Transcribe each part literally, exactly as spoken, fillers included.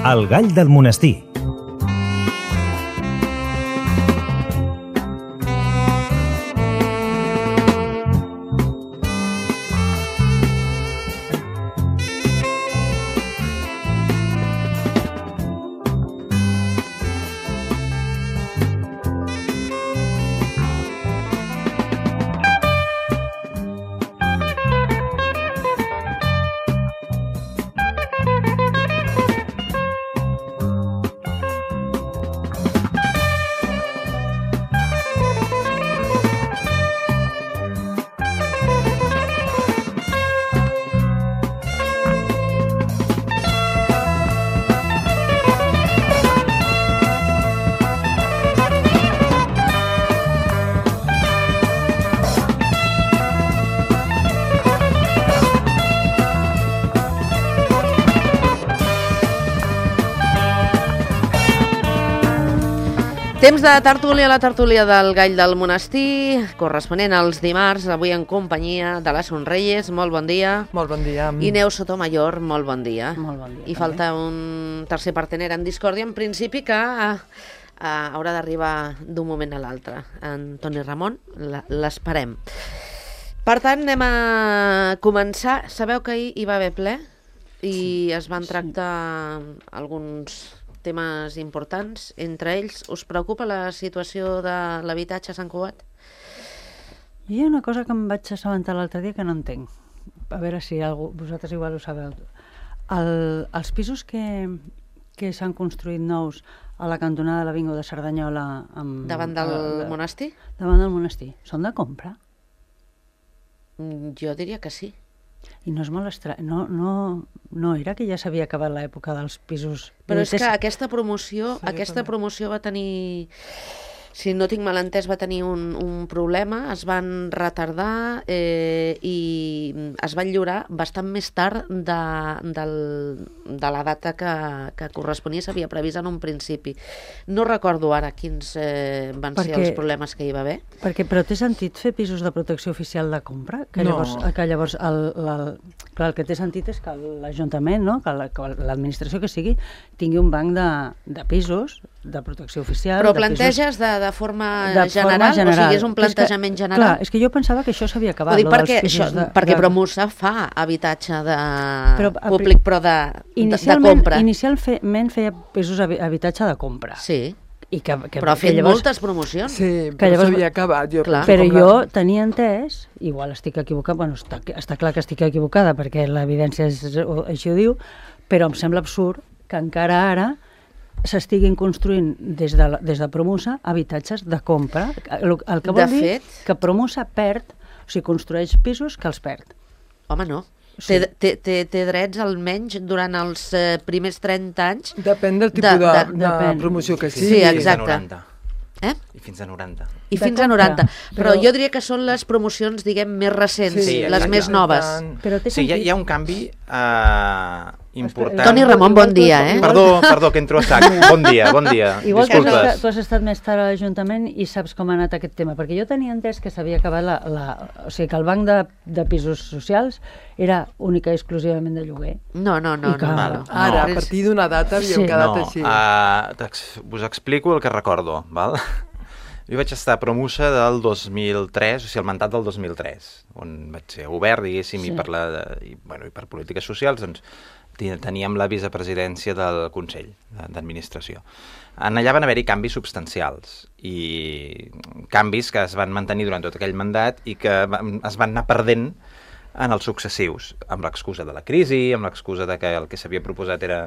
El gall del monestir. Temps de tertúlia, la tertúlia del Gall del Monestir, corresponent als dimarts, avui en companyia de la Sonreyes. Molt bon dia. Molt bon dia. I Neus Sotomayor, molt bon dia. Molt bon dia. I falta un tercer partener en discòrdia, en principi, que uh, uh, haurà d'arribar d'un moment a l'altre. En Toni Ramon, l'esperem. Per tant, anem a començar. Sabeu que ahir hi va haver ple i sí, es van tractar sí. alguns temes importants. Entre ells, us preocupa la situació de l'habitatge a Sant Cugat? Hi ha una cosa que em vaig assabentar l'altre dia que no entenc. A veure si algú, vosaltres igual ho sabeu. El, els pisos que, que s'han construït nous a la cantonada de l'Avinguda de Cerdanyola... Amb, davant del de, monestir? Davant del monestir. Són de compra? Jo diria que sí. I no és molt estrany, no, no, no era que ja s'havia acabat l'època dels pisos... Però és que aquesta promoció, sí, aquesta promoció va tenir, si no tinc mal entès, va tenir un, un problema, es van retardar eh, i es van lliurar bastant més tard de, del, de la data que, que corresponia, s'havia previst en un principi. No recordo ara quins eh, van perquè, ser els problemes que hi va haver. Perquè, però té sentit fer pisos de protecció oficial de compra? Que no. Llavors, que llavors el, el, clar, el que té sentit és que l'Ajuntament, no? que l'administració que sigui, tingui un banc de, de pisos de protecció oficial. Però planteges de, de, forma, de general, forma general? O sigui, és un plantejament és que, general? Clar, és que jo pensava que això s'havia acabat. Dic perquè, això, de, perquè de... Promusa fa habitatge de però, públic, però de, de, de compra. Inicialment feia pisos habitatge de compra. Sí. I que, que, però ha fet llavors, moltes promocions. Sí, però llavors, s'havia acabat. Jo però jo la... tenia entès, igual estic equivocada, bueno, està, està clar que estic equivocada perquè l'evidència així ho diu, però em sembla absurd que encara ara s'estiguin construint des de, des de Promusa habitatges de compra. El, el que vol de dir fet... que Promusa perd, o sigui, construeix pisos que els perd. Home, no. Sí. Té, té, té, té drets almenys durant els eh, primers trenta anys. Depèn del tipus de, de, de, de depèn. promoció que sigui. Sí, exacte. Eh? I fins a noranta. I fins a noranta. Però, però jo diria que són les promocions, diguem, més recents, sí, les exacte. més noves. Però té sí, hi ha, hi ha un canvi uh, important. Toni Ramon, bon dia, eh? Perdó, perdó, que entro a sac. Bon dia, bon dia. Igual que Disculpes. tu has estat més tard a l'Ajuntament i saps com ha anat aquest tema, perquè jo tenia entès que s'havia acabat la, la... O sigui, que el banc de, de pisos socials era única i exclusivament de lloguer. No, no, no. Que... no, no. Ara, a partir d'una data havíem sí. quedat no, així. Uh, us explico el que recordo, val? Jo vaig estar a Promusa del dos mil tres, o sigui, el mandat del dos mil tres, on vaig ser obert, diguéssim, sí. i, per la, i, bueno, i per polítiques socials, doncs teníem la vicepresidència del Consell d'Administració. En allà van haver-hi canvis substancials i canvis que es van mantenir durant tot aquell mandat i que es van anar perdent en els successius, amb l'excusa de la crisi, amb l'excusa de que el que s'havia proposat era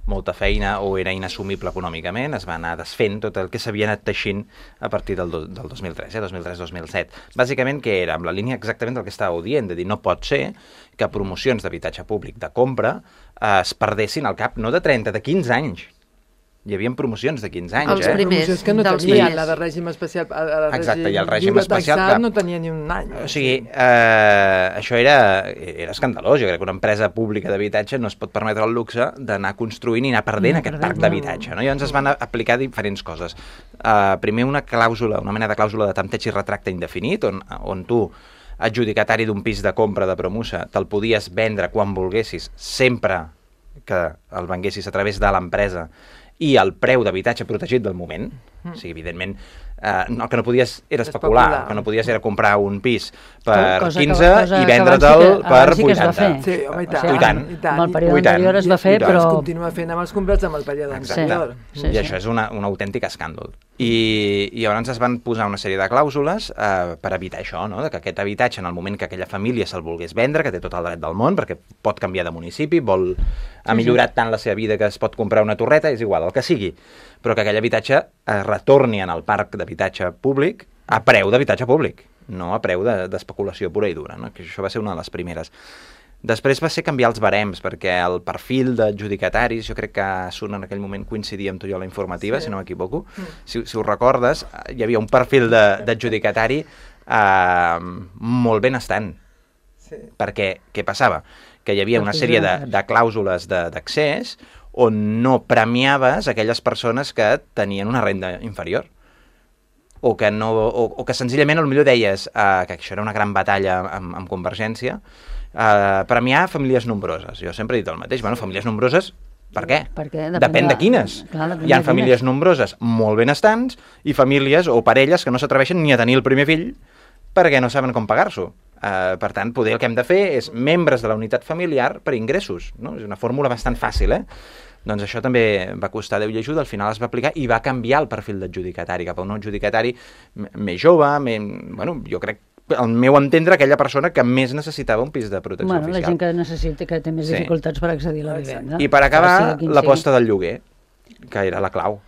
molta feina o era inassumible econòmicament, es va anar desfent tot el que s'havia anat teixint a partir del, do, del dos mil tres, eh, dos mil tres dos mil set. Bàsicament, què era? Amb la línia exactament del que estàveu dient, de dir no pot ser que promocions d'habitatge públic de compra eh, es perdessin al cap no de trenta, de quinze anys. Hi havia promocions de quinze anys, els eh? primers, promocions que no dels tenien, primers. la de règim especial, la de Exacte, i el règim lliure especial, taxat clar. no tenia ni un any. O sigui, eh, això era, era escandalós. Jo crec que una empresa pública d'habitatge no es pot permetre el luxe d'anar construint i anar perdent no, aquest perdent, parc d'habitatge. No? Llavors es van aplicar diferents coses. Uh, primer una clàusula, una mena de clàusula de tempteig i retracte indefinit, on, on tu, adjudicatari d'un pis de compra de Promusa, te'l podies vendre quan volguessis, sempre que el venguessis a través de l'empresa i el preu d'habitatge protegit del moment, mm. o sigui, evidentment, eh, el que no podies era especular, especular, el que no podies era comprar un pis per cosa quinze que, i vendre'l sí per sí vuitanta. Sí, home, i tant. O sigui, I tant. I tant. Amb el període anterior es va fer, però... Es continua fent amb els comprats amb el període anterior. Sí, sí, I sí. això és una, un autèntic escàndol. I, I llavors es van posar una sèrie de clàusules eh, per evitar això, no? De que aquest habitatge, en el moment que aquella família se'l volgués vendre, que té tot el dret del món, perquè pot canviar de municipi, vol... ha millorat tant la seva vida que es pot comprar una torreta, és igual, el que sigui, però que aquell habitatge es retorni en el parc d'habitatge públic a preu d'habitatge públic, no a preu d'especulació pura i dura, no? Que això va ser una de les primeres. Després va ser canviar els barems, perquè el perfil d'adjudicataris, jo crec que Sun en aquell moment coincidia amb tu i jo a la informativa, sí. si no m'equivoco, mm. si, si ho recordes, hi havia un perfil d'adjudicatari eh, molt benestant, sí. perquè què passava? Que hi havia una sèrie de, de clàusules d'accés on no premiaves aquelles persones que tenien una renda inferior. O que, no, o, o que senzillament potser deies eh, que això era una gran batalla amb, amb Convergència, eh, premiar famílies nombroses. Jo sempre he dit el mateix, bueno, famílies nombroses, per què? Perquè depèn, depèn de quines. Clar, depèn Hi ha de famílies quines. nombroses molt benestants i famílies o parelles que no s'atreveixen ni a tenir el primer fill perquè no saben com pagar-s'ho. Uh, per tant, poder el que hem de fer és membres de la unitat familiar per ingressos, no? És una fórmula bastant fàcil, eh? Doncs això també va costar Déu i ajuda, al final es va aplicar i va canviar el perfil d'adjudicatari cap a un adjudicatari més jove, més, bueno, jo crec, al meu entendre, aquella persona que més necessitava un pis de protecció bueno, oficial. La gent que necessita, que té més sí. dificultats per accedir a la vivenda. I per acabar, sí, l'aposta del lloguer, que era la clau.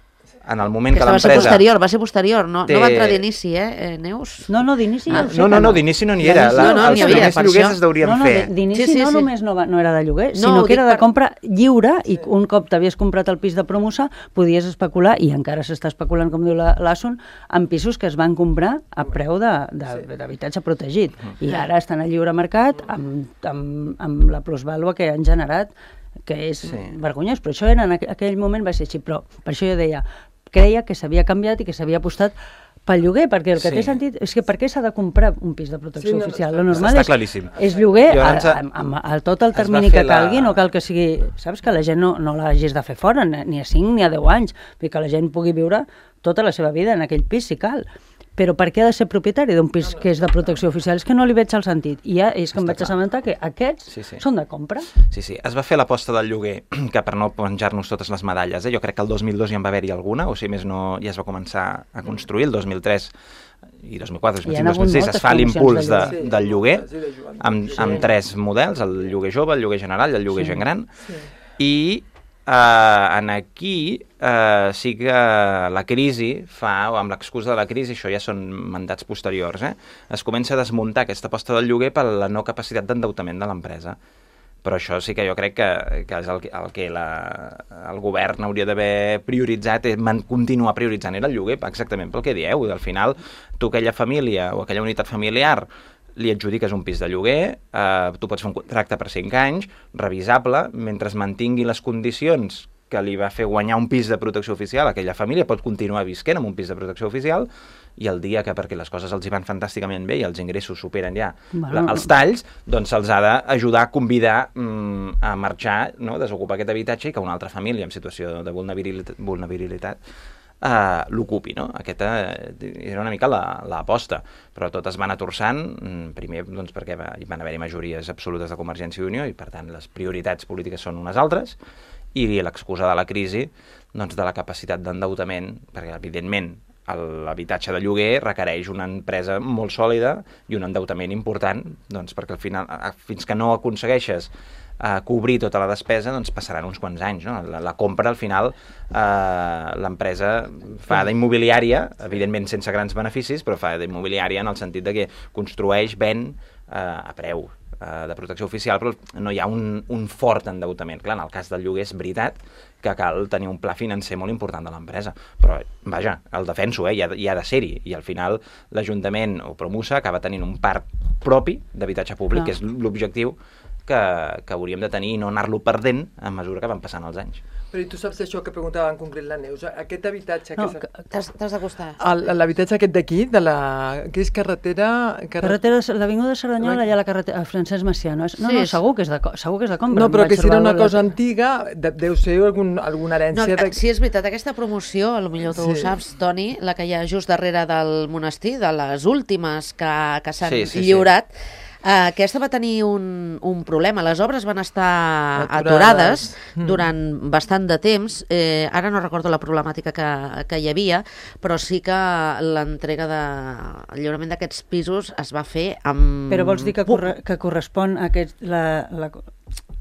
En el moment que, que l'empresa... Va ser posterior, va ser posterior, no, té... no va entrar d'inici, eh, Neus? No, no, d'inici ah, ja ho sé No, no, no, no, d'inici no n'hi era. La, no, no, els havia, primers lloguers es deurien no, no, fer. D'inici sí, sí, no sí. només no, va, no era de lloguer, no, sinó que era de per... compra lliure i un cop t'havies comprat el pis de promoció podies especular, i encara s'està especulant, com diu l'Asun, en pisos que es van comprar a preu d'habitatge protegit. I ara estan al lliure mercat amb, amb, amb la plusvàlua que han generat, que és sí. vergonyós, però això era, en aquell moment va ser així, però per això jo deia, creia que s'havia canviat i que s'havia apostat pel lloguer, perquè el que sí. té sentit és que per què s'ha de comprar un pis de protecció sí, no, oficial? Lo normal està és, claríssim. és lloguer a, a, a, a, a tot el termini que calgui, la... no cal que sigui... Saps que la gent no, no l'hagis de fer fora, ni a cinc ni a deu anys, que la gent pugui viure tota la seva vida en aquell pis, si cal. Però per què ha de ser propietari d'un pis que és de protecció oficial? És que no li veig el sentit. I ja és que em vaig assabentar que aquests sí, sí. són de compra. Sí, sí. Es va fer l'aposta del lloguer, que per no penjar-nos totes les medalles, eh? Jo crec que el dos mil dos ja en va haver-hi alguna, o si més no ja es va començar a construir, el dos mil tres i dos mil quatre, dos mil cinc, dos mil sis es fa l'impuls de, de, del lloguer amb, amb tres models, el lloguer jove, el lloguer general i el lloguer sí. gent gran. Sí. I Uh, en aquí uh, sí que la crisi fa, o amb l'excusa de la crisi, això ja són mandats posteriors, eh? Es comença a desmuntar aquesta aposta del lloguer per la no capacitat d'endeutament de l'empresa. Però això sí que jo crec que, que és el, el que la, el govern hauria d'haver prioritzat, és man, continuar prioritzant era el lloguer, exactament pel que dieu. Al final, tu aquella família o aquella unitat familiar li adjudiques un pis de lloguer, eh, tu pots fer un contracte per cinc anys, revisable, mentre es mantingui les condicions que li va fer guanyar un pis de protecció oficial, aquella família pot continuar visquent amb un pis de protecció oficial, i el dia que, perquè les coses els hi van fantàsticament bé i els ingressos superen ja bueno. la, els talls, doncs se'ls ha d'ajudar a convidar mm, a marxar, no? Desocupar aquest habitatge i que una altra família en situació de vulnerabilitat, vulnerabilitat Uh, l'ocupi, no? Aquesta era una mica l'aposta, la, però totes van atorçant, primer doncs, perquè va, hi van haver-hi majories absolutes de Convergència i Unió i per tant les prioritats polítiques són unes altres, i l'excusa de la crisi doncs, de la capacitat d'endeutament, perquè evidentment l'habitatge de lloguer requereix una empresa molt sòlida i un endeutament important, doncs, perquè al final, fins que no aconsegueixes a cobrir tota la despesa, doncs passaran uns quants anys, no? La, la compra, al final, eh, l'empresa fa d'immobiliària, evidentment sense grans beneficis, però fa d'immobiliària en el sentit de que construeix, ven eh, a preu eh, de protecció oficial, però no hi ha un, un fort endeutament. Clar, en el cas del lloguer és veritat que cal tenir un pla financer molt important de l'empresa, però, vaja, el defenso, eh, hi ha, hi ha de ser-hi, i al final l'Ajuntament o Promusa acaba tenint un parc propi d'habitatge públic, no. que és l'objectiu que, que hauríem de tenir i no anar-lo perdent a mesura que van passant els anys. Però i tu saps això que preguntava en concret la Neus? Aquest habitatge... No, que que- T'has t'has d'acostar. El- L'habitatge aquest d'aquí, de la... que és carretera... Carretera, l'Avinguda de Cerdanyola, allà a la carretera, a Francesc Macià, no? És, no, Sí, no, és- segur que és de, co- segur que és de compra. No, em però vaig que si era trobar una la- cosa antiga, de, deu ser algun, alguna No, herència... de... sí, és veritat, aquesta promoció, potser tu ho Sí. saps, Toni, la que hi ha just darrere del monestir, de les últimes que, que s'han Sí, sí, sí. lliurat, eh, aquesta va tenir un, un problema. Les obres van estar Aturades. aturades Mm. durant bastant de temps. Eh, ara no recordo la problemàtica que, que hi havia, però sí que l'entrega de... el lliurament d'aquests pisos es va fer amb... Però vols dir que, poc- corre, que correspon a aquest, la, la,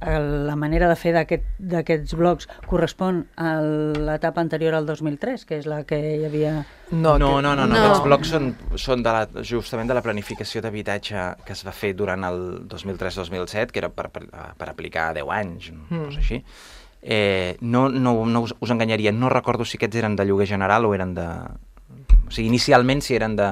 a la manera de fer d'aquest- d'aquests blocs correspon a l'etapa anterior al dos mil tres, que és la que hi havia... No, no, que- no, no, No. aquests blocs són, són de la, justament de la planificació d'habitatge que es va fer durant el dos mil tres dos mil set, que era per, per, per aplicar deu anys, una Mm. cosa així. Eh, no, no, no us, us enganyaria, no recordo si aquests eren de lloguer general o eren de... O sigui, inicialment si eren de,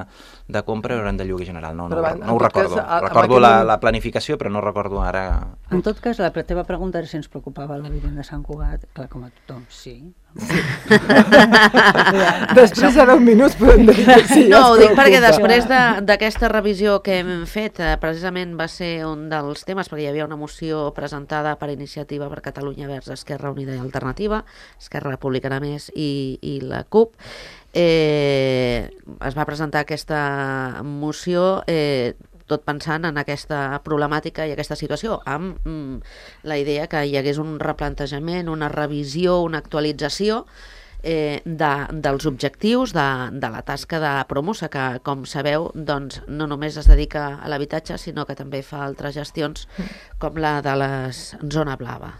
de compra o eren de lloguer general, no, no, Però, no, en- no ho en tot cas, recordo. a- amb Recordo aquell la, moment- la planificació, però no recordo ara... En tot cas, la teva pregunta era si ens preocupava la vivenda de Sant Cugat. Clar, com a tothom, sí. Després de deu minuts podem dir que sí. No, ho ens dic perquè preocupa. després de- d'aquesta revisió que hem fet, eh, precisament va ser un dels temes, perquè hi havia una moció presentada per Iniciativa per Catalunya Verds, Esquerra Unida i Alternativa, Esquerra Republicana Més i, i la CUP. Eh, es va presentar aquesta moció eh, tot pensant en aquesta problemàtica i aquesta situació, amb mm, la idea que hi hagués un replantejament, una revisió, una actualització eh, de, dels objectius de, de la tasca de Promosa, que, com sabeu, doncs, no només es dedica a l'habitatge, sinó que també fa altres gestions, com la de la zona blava.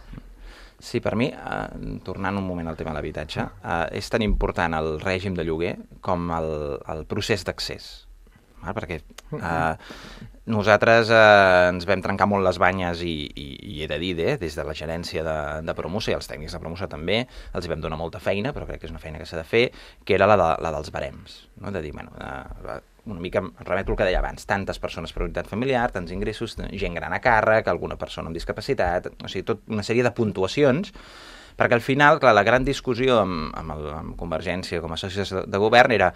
Sí, per mi, eh, tornant un moment al tema de l'habitatge, eh, és tan important el règim de lloguer com el, el procés d'accés. Val? Perquè eh, nosaltres eh, ens vam trencar molt les banyes i, i, i he de dir, eh, des de la gerència de, de Promosa i els tècnics de Promosa també, els hi vam donar molta feina, però crec que és una feina que s'ha de fer, que era la, de, la dels barems. No? De dir, bueno, eh, una mica em remeto al que deia abans, tantes persones per unitat familiar, tants ingressos, gent gran a càrrec, alguna persona amb discapacitat, o sigui, tot una sèrie de puntuacions, perquè al final, clar, la gran discussió amb, amb, el, amb Convergència com a socis de, de govern era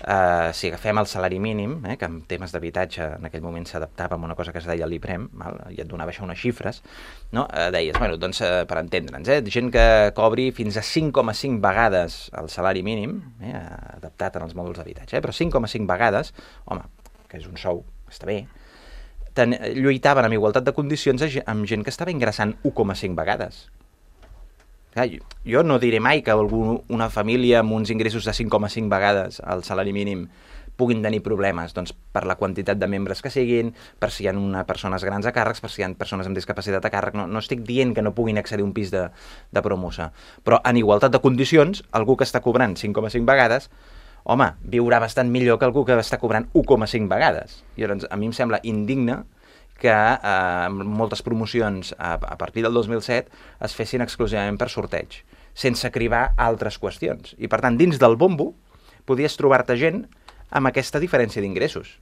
Uh, si agafem el salari mínim, eh, que en temes d'habitatge en aquell moment s'adaptava a una cosa que es deia l'IPREM, val? I et donava això unes xifres, no? uh, deies, bueno, doncs, uh, per entendre'ns, eh, gent que cobri fins a cinc coma cinc vegades el salari mínim, eh, adaptat en els mòduls d'habitatge, eh, però cinc coma cinc vegades, home, que és un sou, està bé, ten, lluitaven amb igualtat de condicions amb gent que estava ingressant u coma cinc vegades. Clar, jo, jo no diré mai que algú, una família amb uns ingressos de cinc coma cinc vegades el salari mínim puguin tenir problemes, doncs, per la quantitat de membres que siguin, per si hi ha una persones grans a càrrecs, per si hi ha persones amb discapacitat a càrrec. No, no estic dient que no puguin accedir a un pis de, de Promosa, però en igualtat de condicions, algú que està cobrant cinc coma cinc vegades, home, viurà bastant millor que algú que està cobrant u coma cinc vegades. I llavors, a mi em sembla indigne que eh, moltes promocions a, a partir del dos mil set es fessin exclusivament per sorteig, sense cribar altres qüestions. I, per tant, dins del bombo podies trobar-te gent amb aquesta diferència d'ingressos.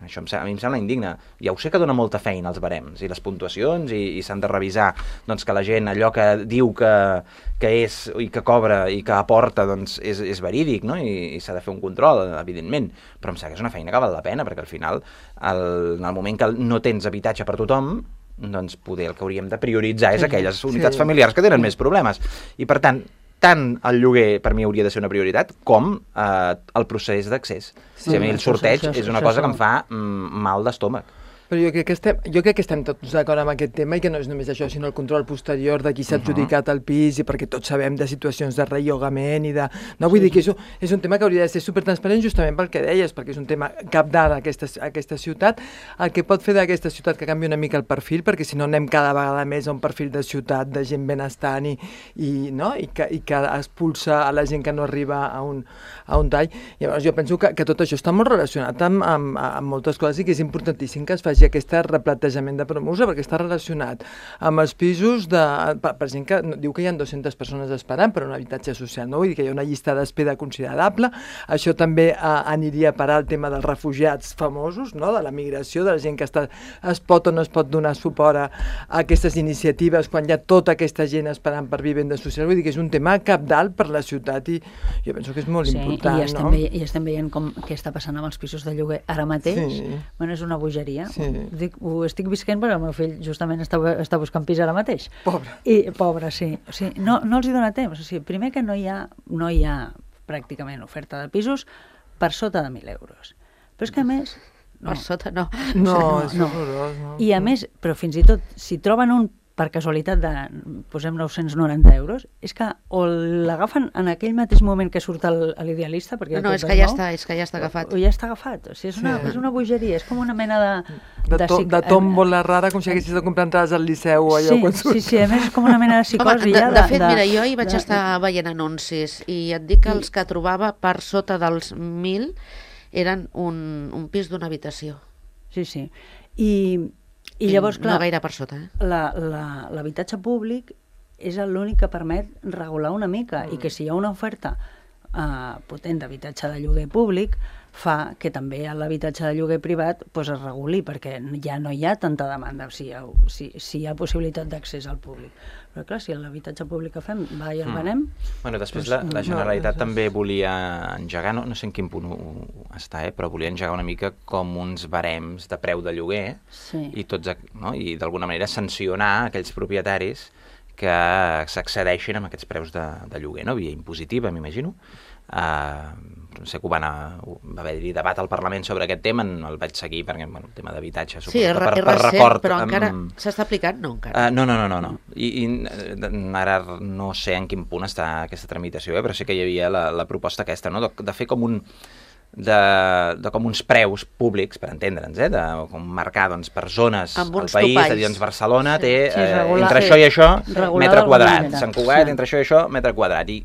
Això em, a mi em sembla indigne. Ja ho sé que dona molta feina als barems i les puntuacions i, i s'han de revisar doncs, que la gent allò que diu que, que és i que cobra i que aporta doncs, és, és verídic, no? I, i s'ha de fer un control, evidentment, però em sembla que és una feina que val la pena, perquè al final el, en el moment que no tens habitatge per tothom, doncs poder el que hauríem de prioritzar és aquelles unitats Sí. familiars que tenen més problemes. I per tant, tant el lloguer per mi hauria de ser una prioritat com eh, el procés d'accés. Sí, Sí, a mi el això- sorteig això- és una això cosa que són- em fa mm, mal d'estómac. Però jo crec, que estem, jo crec que estem tots d'acord amb aquest tema i que no és només això, sinó el control posterior de qui s'ha adjudicat el pis i perquè tots sabem de situacions de rellogament i de... No, vull dir que això és un tema que hauria de ser supertransparent justament pel que deies, perquè és un tema cabdal a aquesta, a aquesta ciutat, el que pot fer d'aquesta ciutat que canvi una mica el perfil, perquè si no anem cada vegada més a un perfil de ciutat, de gent benestant i, i, no? I, que, i que expulsa a la gent que no arriba a un, a un tall. Llavors jo penso que, que tot això està molt relacionat amb, amb, amb moltes coses i que és importantíssim que es faci hagi aquest replantejament de Promusa, perquè està relacionat amb els pisos de... Per, per gent que diu que hi ha dues-centes persones esperant per un habitatge social, no? Vull dir que hi ha una llista d'espera considerable. Això també eh, aniria a parar el tema dels refugiats famosos, no? De la migració, de la gent que està, es pot o no es pot donar suport a, a aquestes iniciatives quan hi ha tota aquesta gent esperant per vivenda social. Vull dir que és un tema cabdal per la ciutat i jo penso que és molt sí, important, i estem no? Veient, I estem veient com, què està passant amb els pisos de lloguer ara mateix. Sí. Bueno, és una bogeria. Sí. Dic, ho estic visquent perquè el meu fill justament està, està buscant pis ara mateix. Pobre. I, pobre, sí. O sigui, no, no els hi dona temps. O sigui, primer que no hi ha, no hi ha pràcticament oferta de pisos per sota de mil euros. Però és que a més... No. Per sota no. No, no, és no. horrorós. No. I a més, però fins i tot, si troben un per casualitat de, posem nou-cents noranta euros, és que o l'agafen en aquell mateix moment que surt el, l'idealista, perquè no, no, és que ja està, és que ja està agafat. O, o ja està agafat, o sigui, és una, sí. és una bogeria, és com una mena de... De, to, de, de tòmbola rara, com si haguessis de comprar entrades al Liceu o allò sí, quan surt. Sí, sí, a més és com una mena de psicosi. Home, de, ja, de, de fet, de, mira, jo hi vaig de, estar veient anuncis i et dic que els que trobava per sota dels mil eren un, un pis d'una habitació. Sí, sí. I... I llavors, clar, no gaire per sota, eh? La, la, l'habitatge públic és l'únic que permet regular una mica mm. i que si hi ha una oferta uh, potent d'habitatge de lloguer públic fa que també l'habitatge de lloguer privat pues, es reguli, perquè ja no hi ha tanta demanda si hi ha, si, si hi ha possibilitat d'accés al públic. Però clar, si l'habitatge públic que fem va i el mm. venem... Bueno, després doncs, la, la Generalitat no, també volia engegar, no, no sé en quin punt està, eh, però volia engegar una mica com uns barems de preu de lloguer sí. i, tots, no, i d'alguna manera sancionar aquells propietaris que s'accedeixin amb aquests preus de, de lloguer, no? Via impositiva, m'imagino. Uh, no sé que ho van a, va haver-hi debat al Parlament sobre aquest tema, no el vaig seguir perquè bueno, el tema d'habitatge suposo sí, que per, és per recent, record però encara um, s'està aplicant? No, encara. Uh, no, no, no, no, no. I, i ara no sé en quin punt està aquesta tramitació, eh, però sí que hi havia la, la proposta aquesta, no? de, de fer com un de, de com uns preus públics, per entendre'ns, eh? De com marcar doncs, per zones al país, topalls. De dir, doncs Barcelona sí. té sí, regular, eh, entre sí. això i això regular metre quadrat, Sant Cugat, sí. entre això i això metre quadrat, i,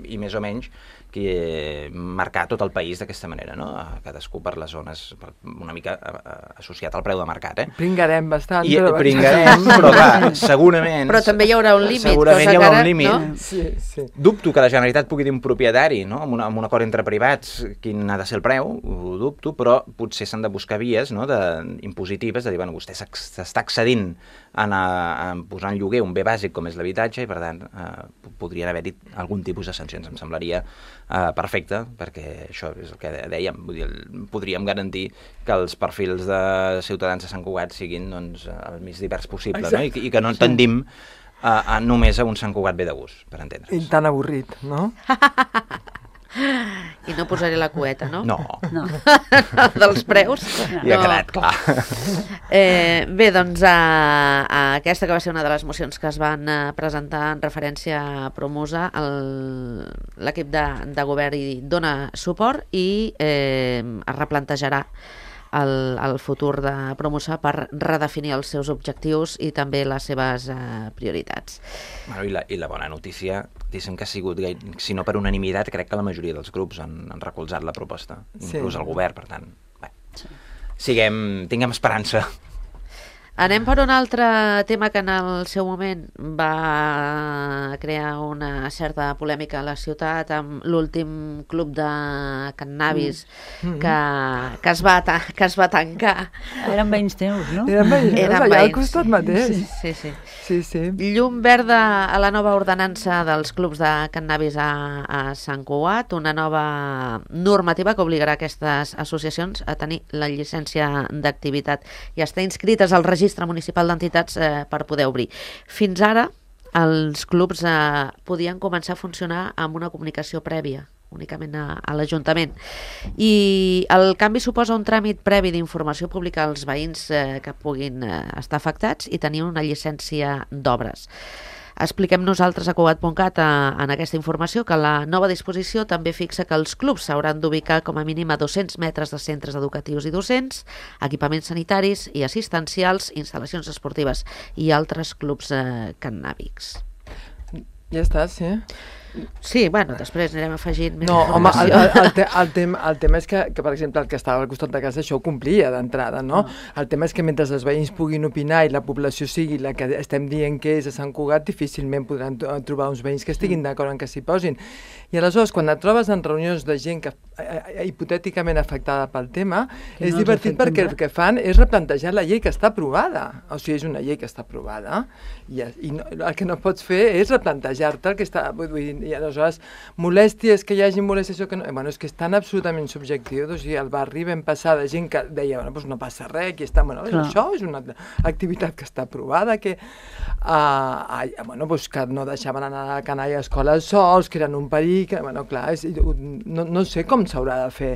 i més o menys que marcar tot el país d'aquesta manera, no? Cadascú per les zones, una mica associat al preu de mercat, eh? Pringarem bastant. I però... pringarem, però clar, segurament... Però també hi haurà un límit. Segurament hi haurà un límit. No? Sí, sí. Dubto que la Generalitat pugui dir un propietari, no? Amb, una, amb un acord entre privats, quin ha de ser el preu, ho dubto, però potser s'han de buscar vies, no? De, impositives, de dir, bueno, vostè s'està accedint en a, a posar en lloguer un bé bàsic com és l'habitatge i, per tant, eh, podrien haver dit algun tipus de sancions. Em semblaria Uh, perfecte, perquè això és el que dèiem, vull dir, podríem garantir que els perfils de ciutadans de Sant Cugat siguin doncs, el més divers possible, no? I, i que no tendim a, a només a un Sant Cugat bé de gust, per entendre'ns. I tan avorrit, no? I no posaré la cueta, no? No. no. Dels preus? No. Ja ha quedat clar. Eh, bé, doncs a, a aquesta que va ser una de les mocions que es van eh, presentar en referència a Promusa, l'equip de, de govern hi dona suport i eh, es replantejarà el, el futur de Promusa per redefinir els seus objectius i també les seves eh, prioritats. Bueno, i, la, I la bona notícia, dicen que ha sigut, si no per unanimitat, crec que la majoria dels grups han, han recolzat la proposta, sí. Inclús el govern, per tant, bé, sí. Siguem, tinguem esperança. Anem per un altre tema que en el seu moment va crear una certa polèmica a la ciutat amb l'últim club de cannabis mm. que, que, es va que es va tancar. Eren veïns teus, no? Eren veïns, Eren allà veïns. al costat mateix. Sí, sí, sí. Sí, sí. Llum verda a la nova ordenança dels clubs de cannabis a, a Sant Cugat, una nova normativa que obligarà aquestes associacions a tenir la llicència d'activitat i estar inscrites al registre municipal d'entitats eh, per poder obrir. Fins ara, els clubs eh, podien començar a funcionar amb una comunicació prèvia, únicament a, a l'Ajuntament. I el canvi suposa un tràmit previ d'informació pública als veïns eh, que puguin eh, estar afectats i tenir una llicència d'obres. Expliquem nosaltres a Cugat punt cat en aquesta informació que la nova disposició també fixa que els clubs s'hauran d'ubicar com a mínim a dos-cents metres de centres educatius i docents, equipaments sanitaris i assistencials, instal·lacions esportives i altres clubs eh, cannàbics. Ja està, sí. Sí, bueno, després anirem afegint més No, home, el, informació. el, el, te, el, tema, el tema és que, que, per exemple, el que estava al costat de casa això ho complia d'entrada, no? No. El tema és que mentre els veïns puguin opinar i la població sigui la que estem dient que és a Sant Cugat, difícilment podran trobar uns veïns que estiguin d'acord en que s'hi posin. I aleshores, quan et trobes en reunions de gent que eh, hipotèticament afectada pel tema, Que és no els divertit afecten perquè res. el que fan és replantejar la llei que està aprovada. O sigui, és una llei que està aprovada i, i no, el que no pots fer és replantejar-te el que està... Vull dir, i aleshores, molèsties, que hi hagi molèsties o que no... Bueno, és que és tan absolutament subjectiu. O sigui, al barri vam passar de gent que deia, bueno, doncs no passa res, aquí està... Bueno, Clar. això és una activitat que està aprovada, que... Uh, uh, bueno, doncs que no deixaven anar a la canalla a escoles sols, que eren un perill, que, bueno, clar, és, no, no sé com s'haurà de fer,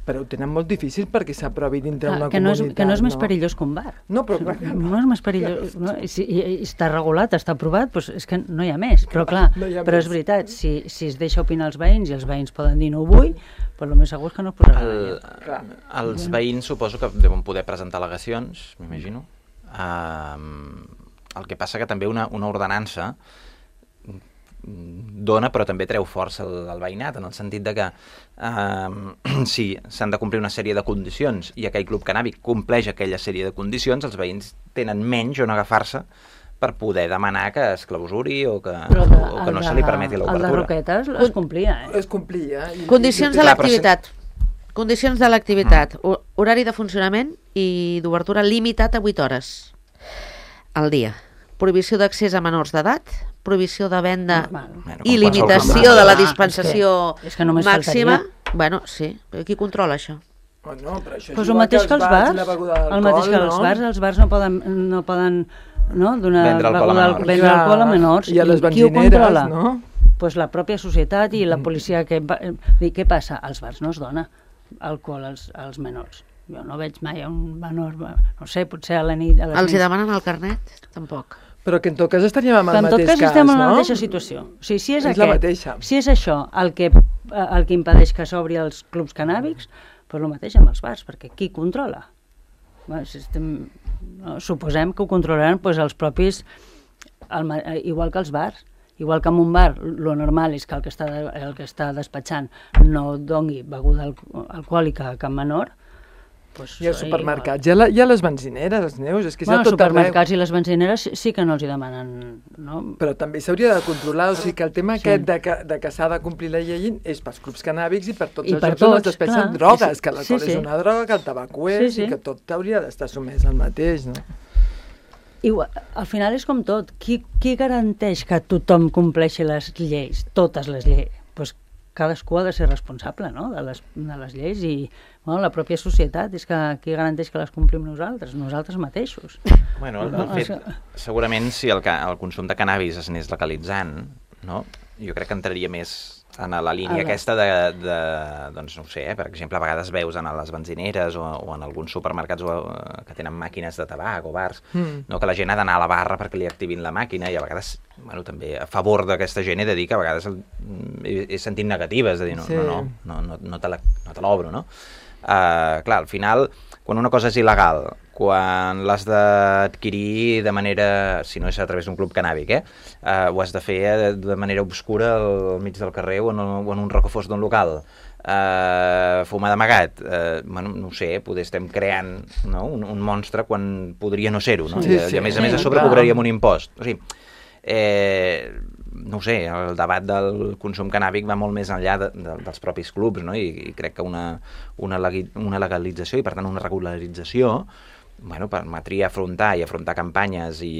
però ho tenen molt difícil perquè s'aprovi dintre Clar, una que no és, comunitat. que no és més perillós que un bar. No, però clar, No és més perillós. No? I, si, i, i està regulat, està aprovat, doncs és que no hi ha més. Però clar, no hi ha però més. és veritat, si, si es deixa opinar els veïns i els veïns poden dir no ho vull, però el més segur és que no es posarà El, Clar. els veïns suposo que deuen poder presentar al·legacions, m'imagino. Um, el que passa que també una, una ordenança dona però també treu força al, al veïnat, en el sentit de que um, si s'han de complir una sèrie de condicions i aquell club cannàbic compleix aquella sèrie de condicions, els veïns tenen menys on agafar-se per poder demanar que es clausuri o que, Però de, o que no se li permeti El de l'obertura. Roquetes es complia, eh? Es complia. I, Condicions i, de Clar, però l'activitat. Condicions de l'activitat. Ho- Horari de funcionament i d'obertura limitat a vuit hores al dia. Prohibició d'accés a menors d'edat, prohibició de venda Normal. Bueno, i com limitació qualsevol de la Ah, dispensació és que- és que només màxima. faltaria. Bueno, sí. Però qui controla això? Bueno, però això és Pues el igual mateix que els i bars, la beguda el d'alcohol, mateix que els no? bars, els bars no poden, no poden no, donar Vendre alcohol a beguda- menors. vendre Clar, alcohol a menors. i a les qui ho benzineres, controla? no? Pues la pròpia societat i la policia. Que va, dir, què passa? Als bars no es dona alcohol als, als menors. Jo no veig mai a un menor, no sé, potser a la nit... A les Els hi nits. demanen el carnet? Tampoc. Però que en tot cas estaríem amb Però el en tot mateix cas estem en la no? mateixa situació. O sigui, si és, És aquest, la mateixa. si és això el que, el que impedeix que s'obri els clubs cannàbics, doncs el mateix amb els bars, perquè qui controla? Bé, si estem, no, suposem que ho controlaran doncs, els propis, el, ma- igual que els bars. Igual que en un bar, lo normal és que el que està, el que està despatxant no doni beguda alco alcohòlica a cap menor. Doncs, I als supermercats, i a, la, i a les benzineres, els neus, és que Bueno, és els a tot arreu. supermercats i les benzineres sí, sí que no els hi demanen... No? Però també s'hauria de controlar, o sigui que el tema Sí. aquest de que, de que s'ha de complir la llei és pels clubs cannàbics i per tots I els per jocs on es tots, despeixen clar. drogues, Sí, que l'alcohol sí, sí. és una droga, que el tabac ho és, Sí, sí. i que tot hauria d'estar sumès al mateix, no? Igual, al final és com tot. Qui, qui garanteix que tothom compleixi les lleis, totes les lleis? Pues cadascú ha de ser responsable, no?, de les, de les lleis i bueno, la pròpia societat és que qui garanteix que les complim nosaltres, nosaltres mateixos. Bueno, el, el No, fet, això- segurament si el, ca- el consum de cannabis es anés legalitzant, no? Jo crec que entraria més en la línia A la- aquesta de, de, doncs no ho sé, eh? Per exemple, a vegades veus en les benzineres o, o en alguns supermercats o, eh, que tenen màquines de tabac o bars, Mm. no? Que la gent ha d'anar a la barra perquè li activin la màquina i a vegades, bueno, també a favor d'aquesta gent he de dir que a vegades el, he, he sentit negatives, de dir, no, Sí. no, no, no, no, no te la- no te l'obro, no? Uh, clar, al final, quan una cosa és il·legal, quan l'has d'adquirir de manera, si no és a través d'un club cannàbic, eh? Uh, ho has de fer de, de manera obscura al mig del carrer o en, o en un racó fos d'un local, uh, fumar d'amagat, uh, bueno, no ho sé, poder estem creant, no? un, un monstre quan podria no ser-ho, no? Sí, I, sí, I a més a sí, més a sobre clar. cobraríem un impost. O sigui, eh, no ho sé, el debat del consum cannàbic va molt més enllà de, de, dels propis clubs, no? I, i crec que una, una, legui- una legalització i per tant una regularització bueno, permetria afrontar i afrontar campanyes i,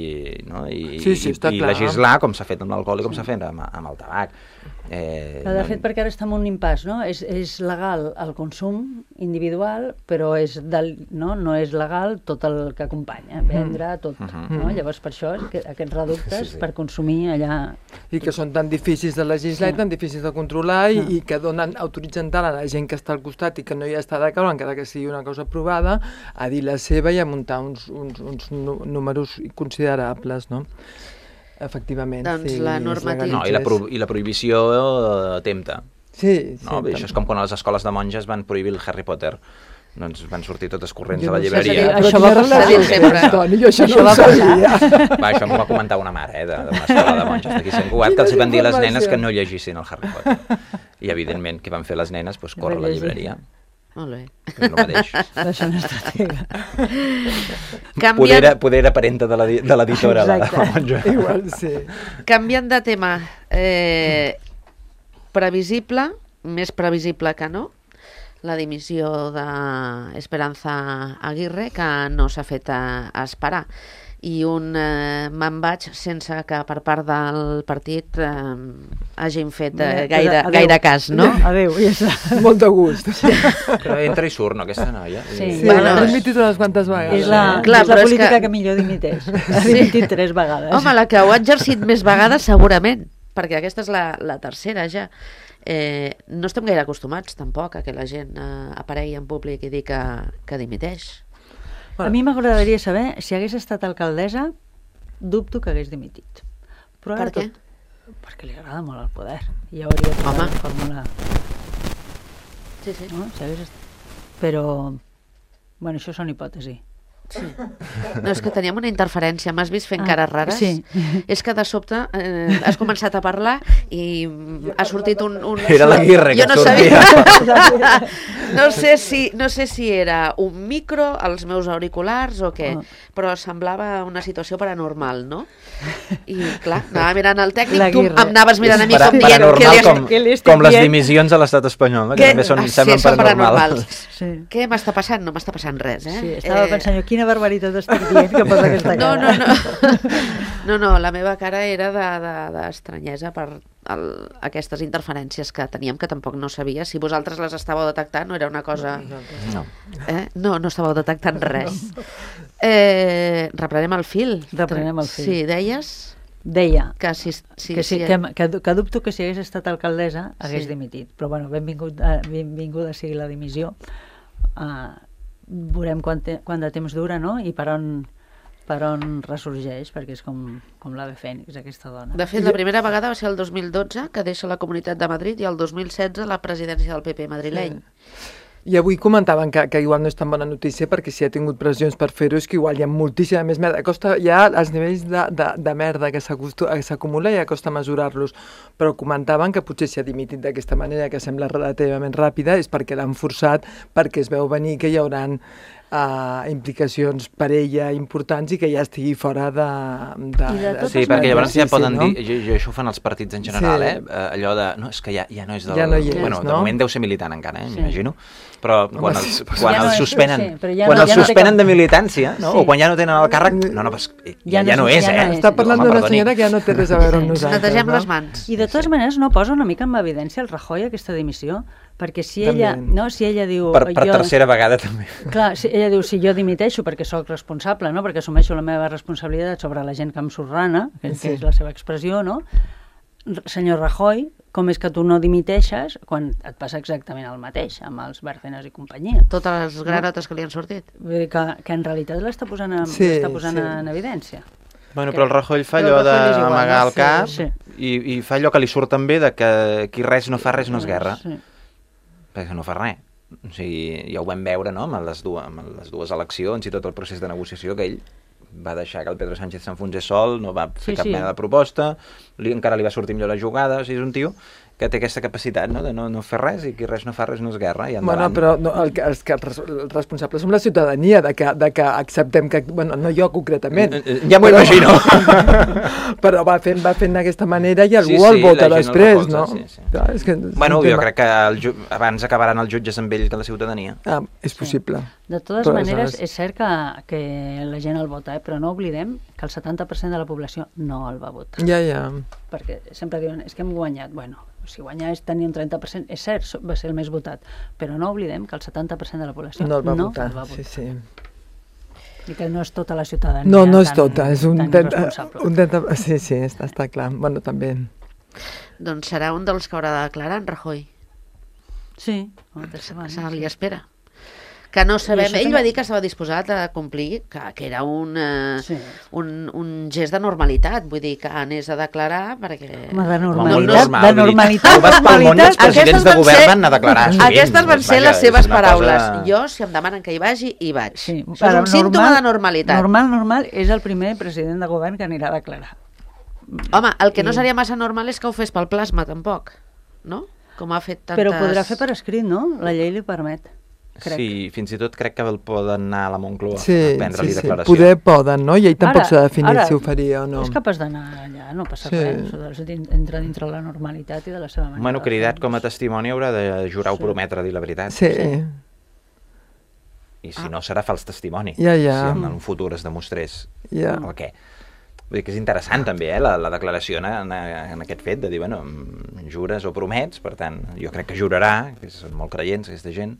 no? I, Sí, sí, i, està i clar. legislar com s'ha fet amb l'alcohol i com s'ha fet amb, amb el tabac. Eh, Però de no- fet, perquè ara estem en un impàs, no? És, és legal el consum individual, però és del, no? no és legal tot el que acompanya, vendre, tot. Mhm. No? Llavors, per això, és que aquests reductes Sí, sí. per consumir allà... I que són tan difícils de legislar Sí. i tan difícils de controlar i, Ah. i que donen, autoritzen tant a la gent que està al costat i que no hi està d'acord, encara que sigui una cosa aprovada, a dir la seva i a muntar uns, uns, uns nu- números considerables, no? Efectivament. Doncs sí, la es normativa- No, i la, legalitzés. pro, i la prohibició eh, tempta. Sí, sí. No? Això és com quan a les escoles de monges van prohibir el Harry Potter. doncs van sortir totes corrents Jo a la no sé, llibreria. Això va passar. S'ha dit sempre. Toni, jo això Això no va ho sabia. Va, això m'ho va comentar una mare, eh, de- d'una escola de monges d'aquí a Sant Cugat, que els hi van dir a les Quina nenes que informació. no llegissin el Harry Potter. I, evidentment, què van fer les nenes? Doncs córrer a la Llegir. llibreria, Molt bé. que és el mateix. Això no és estratega. Poder Canviant, era, poder era parenta de la- de l'editora, la, la Exacte. monja. Igual, sí. canviant de tema, eh, previsible, més previsible que no, la dimissió d'Esperanza Aguirre, que no s'ha fet a, a esperar. I un eh, me'n vaig sense que per part del partit eh, hagin fet eh, gaire, Adéu. gaire cas, no? Adéu, ja està. Molt de gust. Sí, Però entra i surt, no, aquesta noia? Sí. sí Bueno, l'ha dimitit unes quantes vegades. És la, Clar, és la però és política que- que... que millor dimiteix. Ha dimitit tres vegades. Home, la que ho ha exercit més vegades segurament, perquè aquesta és la, la tercera ja. Eh, no estem gaire acostumats tampoc a que la gent eh, aparegui en públic i digui que, que dimiteix. A mi m'agradaria saber, si hagués estat alcaldessa, dubto que hagués dimitit. Però ara Per què? Tot, perquè li agrada molt el poder. I ja hauria trobat Home. la fórmula. Sí, sí. No? Si hagués estat... Però, bueno, això són hipòtesi. No, és que teníem una interferència, m'has vist fent Ah, cares rares? sí. És que de sobte eh, has començat a parlar i ha sortit un... un... Era l'Aguirre que Jo no sortia. sabia. no, sé si, no sé si era un micro, als meus auriculars o què, Oh. però semblava una situació paranormal, no? I clar, anava mirant el tècnic, tu L'Aguirre. em anaves mirant a mi Para- com dient... paranormal què li has- com, què li estic com les dient? dimissions a l'estat espanyol, no? que Què? també són, Ah, sí, semblen són paranormals. Sí. Què m'està passant? No m'està passant res, eh? Sí, estava Eh, pensant jo, quina barbaritat estic dient que posa aquesta No, cara. no, no. No, no, la meva cara era d'estranyesa de, de, per el, aquestes interferències que teníem, que tampoc no sabia. Si vosaltres les estàveu detectant, no era una cosa... No. Eh? No, no estàveu detectant res. Eh, reprenem el fil. Reprenem el fil. Sí, deies Deia que si... si, que, sí, si que, que, que dubto que si hagués estat alcaldessa hagués Sí. dimitit. Però bueno, benvingut, eh, benvinguda sigui la dimissió. Uh, veurem quant, te, quant de temps dura, no? I per on, per on ressorgeix, perquè és com, com l'ave fènix, aquesta dona. De fet, la primera vegada va ser el dos mil dotze, que deixa la Comunitat de Madrid, i el dos mil setze la presidència del P P madrileny. I avui comentaven que, que igual no és tan bona notícia perquè si ha tingut pressions per fer-ho és que igual hi ha moltíssima més merda. Costa, ja els nivells de, de, de merda que s'acostu- que s'acumula ja costa mesurar-los, però comentaven que potser si ha dimitit d'aquesta manera, que sembla relativament ràpida, és perquè l'han forçat, perquè es veu venir que hi hauran uh, implicacions per ella importants i que ja estigui fora de... de, I de totes Sí, perquè llavors ja sí, poden no? dir, jo, jo, això ho fan els partits en general, Sí. eh? Eh, allò de, no, és que ja, ja no és del... Ja no hi és, bueno, de no? moment deu ser militant encara, eh? Sí. M'imagino. Però quan Home, els, sí, quan Ja no els és, suspenen, sí, però ja quan no- els ja no té suspenen cap- de militància, no? Sí. O quan ja no tenen el càrrec, no, no, però ja, ja, Ja no no és- és, ja no eh? és. Està parlant Home, d'una perdoni. senyora que ja no té res a veure amb nosaltres. Netegem no? les mans. I de totes maneres no posa una mica en evidència el Rajoy aquesta dimissió, perquè si ella, També. no, si ella diu... Per, per jo, tercera vegada també. Clar, si ella diu, si jo dimiteixo perquè sóc responsable, no? Perquè assumeixo la meva responsabilitat sobre la gent que em sorrana, que, Sí. que és la seva expressió, no? R- Senyor Rajoy, com és que tu no dimiteixes quan et passa exactament el mateix amb els Bárcenas i companyia? Totes les granotes que li han sortit. Vull dir que, que en realitat l'està posant, en, Sí, l'està posant sí. en evidència. Bueno, però el Rajoy fa Però allò el Rajoy és igual, d'amagar no? el cap Sí, i, i fa allò que li surt també de que qui res no fa res no és guerra, Sí. perquè no fa res. O sigui, ja ho vam veure, no?, amb les dues, amb les dues eleccions i tot el procés de negociació, que ell va deixar que el Pedro Sánchez s'enfonsés sol, no va fer Sí, cap sí. mena de proposta, li, encara li va sortir millor la jugada, o sigui, és un tio que té aquesta capacitat, no?, de no, no fer res, i qui res no fa res no és guerra, i Bueno, endavant. però no, el, que- els que res- els responsables som la ciutadania de que, de que acceptem que... Bueno, no jo concretament. Eh, eh, ja m'ho però- imagino. però va fent, va fent d'aquesta manera i algú Sí, el sí, vota la gent el després, recolza, no? sí, sí. Clar, és que és Bueno, un jo tema- crec que el ju abans acabaran els jutges amb ell que la ciutadania. Ah, és possible. De totes Però maneres, aleshores- és cert que, que la gent el vota, eh? Però no oblidem que el setanta per cent de la població no el va votar. Ja, ja. Perquè sempre diuen, és que hem guanyat. Bueno, si guanyar és tenir un trenta per cent, és cert, so- va ser el més votat, però no oblidem que el setanta per cent de la població No el va no votar. el va votar. Sí, sí. I que no és tota la ciutadania No, no és tan- tota, és un tan trenta... irresponsable. Un trenta sí, sí, està, està clar. Bueno, també. Doncs serà un dels que haurà de declarar en Rajoy. Sí, moltes setmanes. Se li espera. que no sabem... això Ell també- va dir que estava disposat a complir, que, que era un, eh, Sí. un, un gest de normalitat, vull dir, que anés a declarar perquè... Home, de Home, normalitat, normal, de vull dir, normalitat, tu vas pel món i els normalitat. presidents de van govern ser- van anar a declarar sovint. Aquestes van ser Vaja, les és seves una paraules. cosa- Jo, si em demanen que hi vagi, hi vaig. Sí, Això és però un símptoma de normalitat. Normal, normal, és el primer president de govern que anirà a declarar. Home, el que no I- seria massa normal és que ho fes pel plasma, tampoc, no? Com ha fet tantes... Però ho podrà fer per escrit, no? La llei li permet. Crec. Sí, fins i tot crec que el poden anar a la Moncloa Sí, a sí, prendre-li sí. declaració. Poder poden, no? I ell tampoc Ara- s'ha definit ara si ho faria o no. És capaç d'anar allà, no passa Sí. res. Això din- entra dintre la normalitat i de la seva manera. Bueno, de cridat fer. com a testimoni haurà de jurar o Sí. prometre dir la veritat. Sí. I si no, serà fals testimoni. Ja, ja. Si en un futur es demostrés Ja. el què. Vull dir que és interessant també, eh, la, la declaració en, en, en aquest fet de dir, bueno, mm, jures o promets, per tant, jo crec que jurarà, que són molt creients aquesta gent,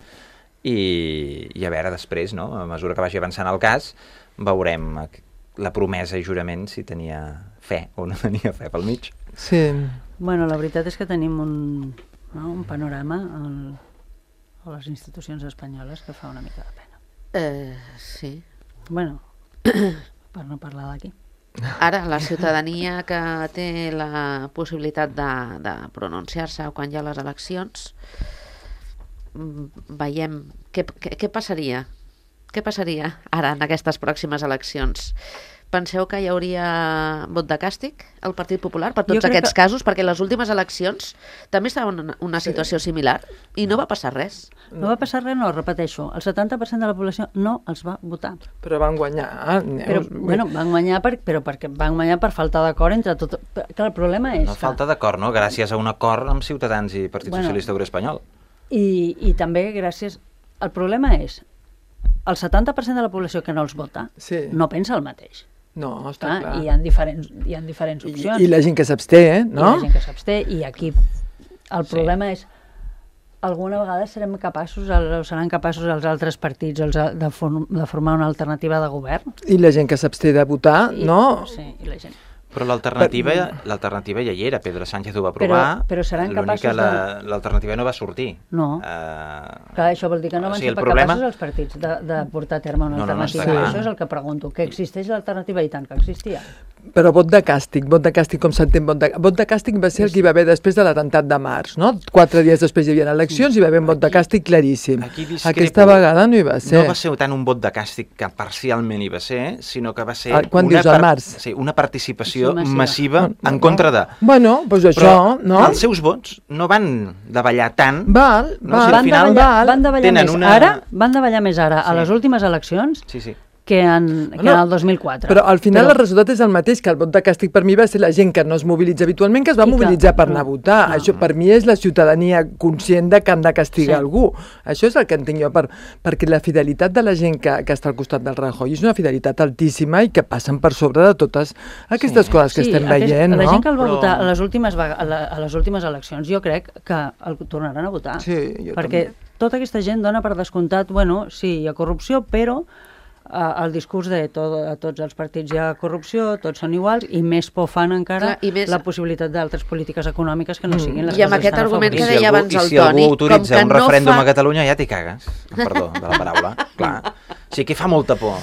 i, i a veure després, no?, a mesura que vagi avançant el cas, veurem la promesa i jurament si tenia fe o no tenia fe pel mig. Sí. Bueno, la veritat és que tenim un, no, un panorama al, a les institucions espanyoles que fa una mica de pena. Eh, sí. Bueno, per no parlar d'aquí. Ara, la ciutadania que té la possibilitat de, de pronunciar-se quan hi ha les eleccions, mm, veiem què, què, què passaria. Què passaria ara en aquestes pròximes eleccions? Penseu que hi hauria vot de càstig al Partit Popular per Jo tots crec aquests que- casos? Perquè les últimes eleccions també estava en una, una situació similar i no va passar res. No va passar res, no, repeteixo. El setanta per cent de la població no els va votar. Però van guanyar. Però, Neus. bueno, van guanyar, per, però perquè van guanyar per falta d'acord entre tot... Clar, el problema és No que... falta d'acord, no? Gràcies a un acord amb Ciutadans i Partit Bueno. Socialista Obrer Espanyol. I, I també gràcies... El problema és el setanta per cent de la població que no els vota Sí. no pensa el mateix. No, està Clar, clar. hi ha diferents, hi ha diferents I, opcions. I la gent que s'absté, eh? I No? la gent que s'absté, i aquí el Sí. problema és alguna vegada serem capaços, o seran capaços els altres partits els, a- de, form, de formar una alternativa de govern? I la gent que s'absté de votar, I, no? Sí, i la gent. Però l'alternativa l'alternativa ja hi era, Pedro Sánchez ho va aprovar, Però- però seran l'únic capaços que la- de- l'alternativa no va sortir. No. Uh, Clar, això vol dir que no o van sigui, ser el pas problema- capaços els partits de, de portar a terme una No, no, no, alternativa. està clar. Això és el que pregunto. Que existeix l'alternativa i tant que existia. Però vot de càstig, vot de càstig, com s'entén vot de... Vot de càstig va ser el que hi va haver després de l'atemptat de març, no? Quatre dies després hi havia eleccions i hi va haver un vot de càstig claríssim. Aquí discrepo. Aquesta vegada no hi va ser. No va ser tant un vot de càstig que parcialment hi va ser, sinó que va ser Ah, quan una, dius, al març? sí, una participació Sí, massiva. massiva No, en no. contra de... Bueno, doncs això, no? els seus vots no van davallar tant. Val, No, val, si al Van final davallar, val. van davallar tenen més una- ara, van davallar més ara a Sí. les últimes eleccions Sí, sí. que en, que No, en el dos mil quatre. Però al final Però- el resultat és el mateix, que el vot de càstig per mi va ser la gent que no es mobilitza habitualment, que es va I que- mobilitzar per anar a no, votar. no. Això per mi és la ciutadania conscient de que han de castigar Sí. algú. Això és el que entenc jo, per, perquè la fidelitat de la gent que, que està al costat del Rajoy és una fidelitat altíssima i que passen per sobre de totes aquestes Sí. coses que sí, estem aquest- veient, la no? gent que el va Però- votar a les, últimes, vega- a, la, a les últimes eleccions, jo crec que el tornaran a votar. Sí, jo perquè també. tota aquesta gent dona per descomptat, bueno, sí, hi ha corrupció, però eh, el discurs de to, a tots els partits hi ha corrupció, tots són iguals, i més por fan encara Clar, i més- la possibilitat d'altres polítiques econòmiques que no siguin les I amb que aquest estan a argument I que si deia algú, abans i el si algú Toni, autoritza com que un no referèndum fa- a Catalunya ja t'hi cagues. Perdó, de la paraula. Clar. O sigui, què fa molta por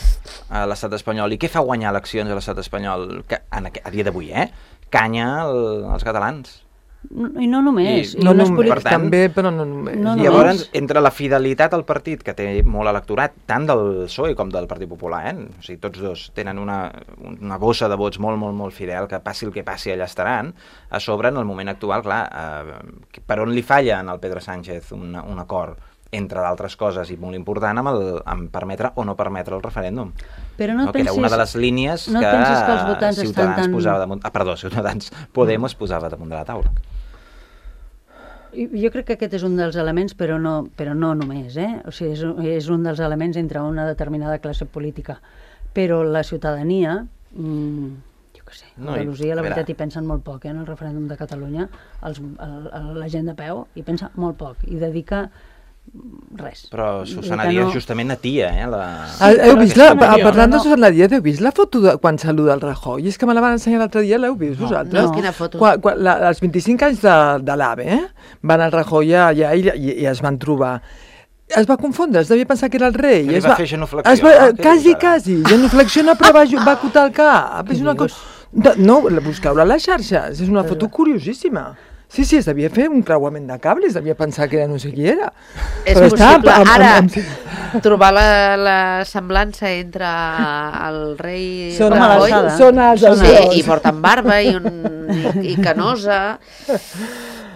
a l'estat espanyol i què fa guanyar eleccions a l'estat espanyol que, en, aqu- a dia d'avui, eh? Canya el, als catalans. I no només. I- I, No, unes no, polítiques... per tant- també, però no només. No, I no, llavors, és- entre la fidelitat al partit, que té molt electorat, tant del P S O E com del Partit Popular, eh? O sigui, tots dos tenen una, una bossa de vots molt, molt, molt fidel, que passi el que passi, allà estaran. A sobre, en el moment actual, clar, eh, per on li falla en el Pedro Sánchez un, un acord, entre d'altres coses, i molt important, amb, el, amb permetre o no permetre el referèndum. Però no et no, que era pensis- una de les línies no et que, pensis que els votants estan Ciutadans tan- posava damunt... Ah, perdó, Ciutadans Podemos posava damunt de la taula. I Jo crec que aquest és un dels elements, però no, però no només, eh? O sigui, és, un- és un dels elements entre una determinada classe política. Però la ciutadania, mmm, jo què sé, a No, i- Andalusia, la a veure. veritat, hi pensen molt poc, eh? En el referèndum de Catalunya, els, el, el, la gent de peu hi pensa molt poc i dedica mm, res. Però Vull dir Susana que Díaz no- justament atia, eh? La... Ah, heu vist la, Susana ah, Díaz, parlant de no. Susana Díaz, heu vist la foto de quan saluda el Rajoy? És que me la van ensenyar l'altre dia, l'heu vist vosaltres? no. Quina foto? Quan, quan, la, els vint-i-cinc anys de, de l'AVE, eh? Van al Rajoy allà i, i, i es van trobar. es va confondre, es devia pensar que era el rei. Que li es va fer genuflexió, es va, no? Què quasi, dius ara? quasi. Genuflexiona, però va, va acotar el cap. És una cosa... No, busqueu-la a les xarxes. És una foto curiosíssima. Sí, sí, es devia fer un creuament de cables, es devia pensar que era no sé qui era. És Però possible. està amb- amb- Ara, amb- trobar la, la semblança entre el rei Són Com a Rajoy... l'alçada. Són els Sí, dos. i porten barba i, un, i, i canosa.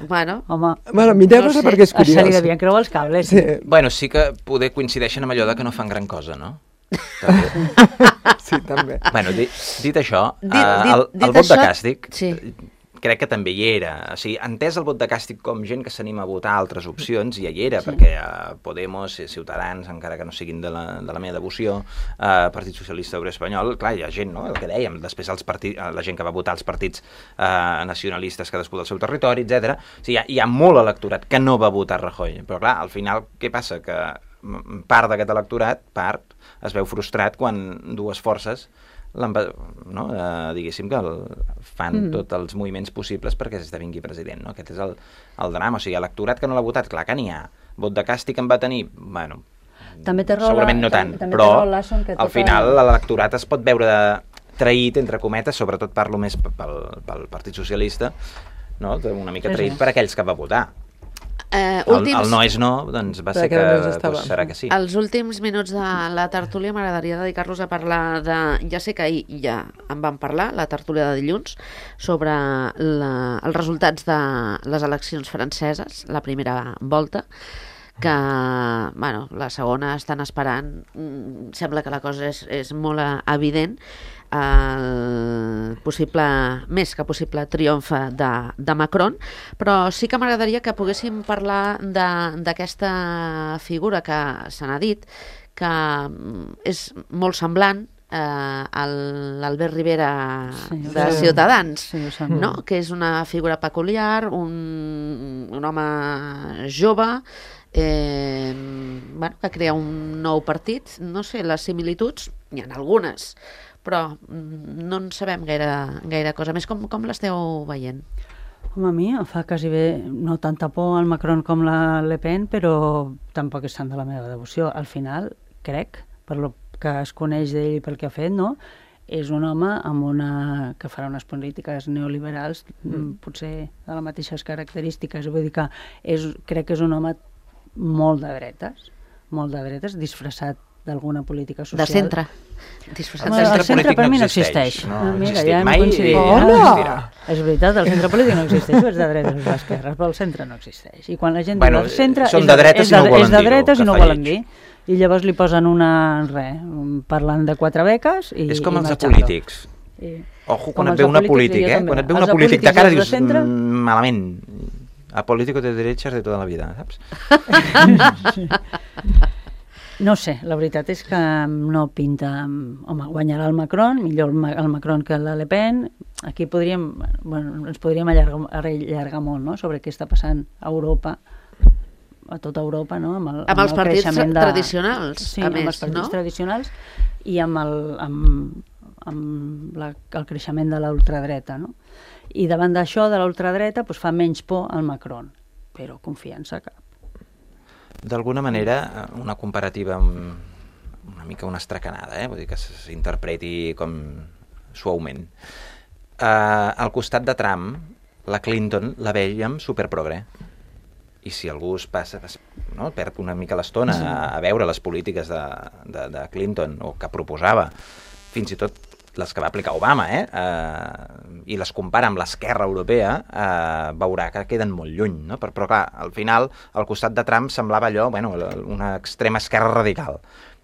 Bueno, Home, Bueno, mireu-la No sé, perquè és se li curiós. devien creuar els cables. Sí, Bueno, sí que poder coincideixen amb allò de que no fan gran cosa, no? També. sí, també. Bueno, dit, dit això, Dit- eh, dit- el, dit el vot això, de càstig sí. crec que també hi era. O sigui, entès el vot de càstig com gent que s'anima a votar altres opcions, ja hi era, sí. perquè eh, Podemos, Ciutadans, encara que no siguin de la, de la meva devoció, eh, Partit Socialista Obrer Espanyol, clar, hi ha gent, no?, el que dèiem, després els partits, la gent que va votar els partits eh, nacionalistes cadascú del seu territori, etcètera. O sigui, hi ha, hi ha molt electorat que no va votar Rajoy, però clar, al final, què passa? Que part d'aquest electorat, part, es veu frustrat quan dues forces no? eh, diguéssim que el, fan mm. tots els moviments possibles perquè esdevingui president, no? Aquest és el, el drama, o sigui, electorat que no l'ha votat, clar que n'hi ha, vot de càstig en va tenir, bueno, També té raó segurament la- no tant, també- també té però raó Lasson que al tota- final l'electorat es pot veure traït, entre cometes, sobretot parlo més pel, pel Partit Socialista, no? Una mica Sí, traït sí. per aquells que va votar. eh, El, últims... el no és no, doncs va Per ser que, aquella no estava. doncs serà que sí. Els últims minuts de la tertúlia m'agradaria dedicar-los a parlar de... Ja sé que ahir ja en vam parlar, la tertúlia de dilluns, sobre la, els resultats de les eleccions franceses, la primera volta, que, bueno, la segona estan esperant, mm, sembla que la cosa és, és molt eh, evident, el possible, més que possible triomf de, de Macron, però sí que m'agradaria que poguéssim parlar d'aquesta figura que se n'ha dit, que mm, és molt semblant eh, a l'Albert Rivera Sí, de sí. Ciutadans, Sí, ho sembla. no? Que és una figura peculiar, un, un home jove, eh, bueno, que crea un nou partit. No sé, les similituds, n'hi ha algunes, però mm, no en sabem gaire, gaire cosa més. Com, com l'esteu veient? Home, a mi em fa quasi bé, no tanta por al Macron com la Le Pen, però tampoc és tant de la meva devoció. Al final, crec, per lo que es coneix d'ell i pel que ha fet, no? És un home amb una... que farà unes polítiques neoliberals, mm. potser de les mateixes característiques. Vull dir que és, crec que és un home molt de dretes, molt de dretes, disfressat d'alguna política social. De centre. Disfressat Bueno, de el centre. centre polític per no mi no existeix, existeix. no Ah, mira, existit ja hem mai coincidit. i no Ah, existirà. És veritat, el centre polític no existeix, és de dretes o d'esquerres, però el centre no existeix. I quan la gent Bueno, diu el centre són és de dretes és i no volen és de dir-ho, dretes que i no fa volen lleig. dir. I llavors li posen una, res, parlant de quatre beques i És com i els de marxant. polítics. I, Ojo, com quan et els ve de una polítics, polític, jo eh? també. Quan et ve Els una de polític de polítics cara i els de dius, centre? "Mm, malament. A político de derechas de tota la vida, saps? No sé, la veritat és que no pinta... Home, guanyarà el Macron, millor el, Ma el Macron que la Le Pen. Aquí podríem, bueno, ens podríem allargar, allargar molt, no?, sobre què està passant a Europa, a tota Europa, no?, amb el, Amb els el partits creixement de... tradicionals, sí, a amb més, els partits no? tradicionals i amb el, amb, amb la, el creixement de la ultradreta, no? I davant d'això, de la ultradreta, doncs fa menys por al Macron, però confiança cap. D'alguna manera, una comparativa amb una mica una estracanada, eh? Vull dir que s'interpreti com suaument. Uh, al costat de Trump, la Clinton la veiem superprogre. I si algú es passa, es, no, perd una mica l'estona sí. a, a veure les polítiques de, de, de Clinton, o que proposava, fins i tot les que va aplicar Obama, eh? Uh, i les compara amb l'esquerra europea, uh, veurà que queden molt lluny, no? Però, però clar, al final, al costat de Trump semblava allò, bueno, una extrema esquerra radical,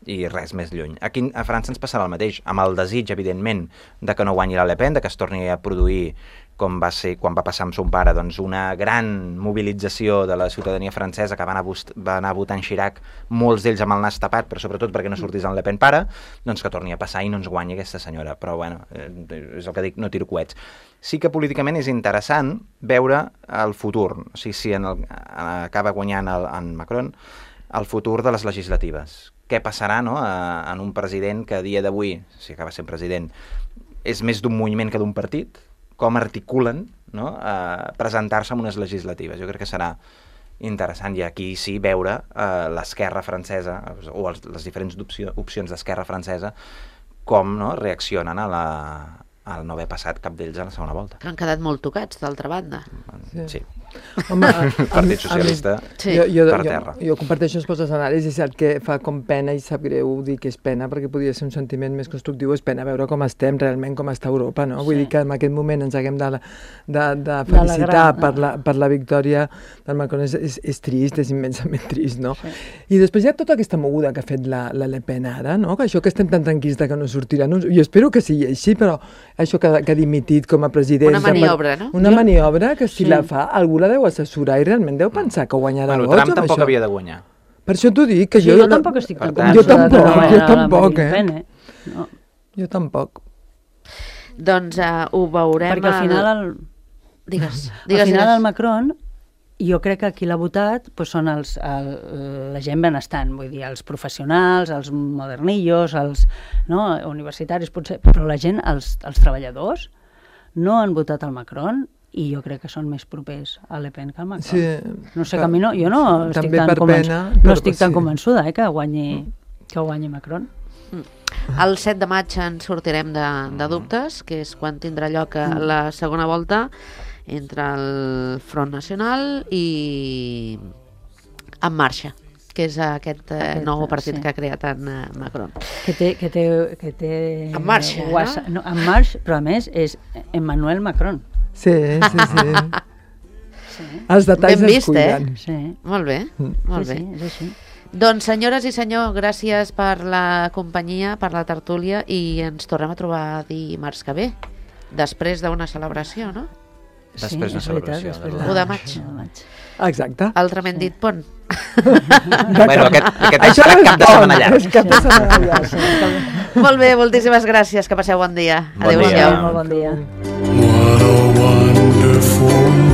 i res més lluny. Aquí a França ens passarà el mateix, amb el desig, evidentment, de que no guanyi la Le Pen, de que es torni a produir, com va ser quan va passar amb son pare, doncs una gran mobilització de la ciutadania francesa que va anar, va anar votant Chirac, molts d'ells amb el nas tapat, però sobretot perquè no sortís en Le Pen pare, doncs que torni a passar i no ens guanyi aquesta senyora. Però bueno, és el que dic, no tiro coets. Sí que políticament és interessant veure el futur, o sigui, si en el, acaba guanyant el, en Macron, el futur de les legislatives. Què passarà, no?, a, en un president que a dia d'avui, si acaba sent president, és més d'un moviment que d'un partit, com articulen, no?, a presentar-se en unes legislatives. Jo crec que serà interessant, i aquí sí veure eh, l'esquerra francesa, o els, les diferents opció, opcions d'esquerra francesa, com no, reaccionen a la, al no haver passat cap d'ells a la segona volta. Que han quedat molt tocats, d'altra banda. Sí. sí. Home, el Partit Socialista sí. jo, jo, per jo, terra. Jo comparteixo els vostres anàlisis, és el que fa com pena, i sap greu dir que és pena, perquè podria ser un sentiment més constructiu, és pena veure com estem realment, com està Europa, no? Sí. Vull dir que en aquest moment ens haguem de, de, de felicitar de per, la, per la victòria del Macron, és, és, és trist, és immensament trist, no? Sí. I després hi ha tota aquesta moguda que ha fet la, la Le Pen ara, no? Que això que estem tan tranquils de que no sortirà, no? Jo espero que sigui així, però això que, que ha dimitit com a president... Una maniobra, no? Una jo... maniobra que si sí. la fa, algú la deu assessorar i realment deu pensar que guanyarà bueno, vots. Trump tampoc això. havia de guanyar. Per això t'ho dic, que sí, jo... jo tampoc estic tan tant, jo convençuda tampoc, que jo no tampoc, eh? Pen, eh? No. Jo tampoc. Doncs uh, ho veurem... Perquè al final... El... Digues, al digues, final digues. el Macron, jo crec que qui l'ha votat pues, són els, el, la gent benestant, vull dir, els professionals, els modernillos, els no, universitaris, potser, però la gent, els, els treballadors, no han votat el Macron i jo crec que són més propers a Le Pen que al Macron. Sí, no sé, que a mi no, jo no estic, tan, per convenç... pena, no estic tan sí. convençuda eh, que, guanyi, que guanyi Macron. El set de maig ens sortirem de, de dubtes, que és quan tindrà lloc la segona volta entre el Front Nacional i En Marxa, que és aquest eh, nou partit sí. que ha creat en uh, Macron. Que té... Que té, que té En Marxa, WhatsApp, no? no? En Marxa, però a més és Emmanuel Macron. Sí, sí, sí. Sí. Els detalls Ben es vist, cuiden. eh? Sí. Molt bé, molt sí, bé. sí, és així. Doncs, senyores i senyor, gràcies per la companyia, per la tertúlia, i ens tornem a trobar dimarts que ve, després d'una celebració, no? Després d'una sí, celebració. Veritat, després de... u de maig. de maig. Exacte. Altrament dit, pont. Bueno, aquest, aquest Això serà és cap de setmana llarg. És cap de setmana llarg. Molt bé, moltíssimes gràcies, que passeu bon dia. Bon Adéu-siau. dia. Molt bon dia. What a wonderful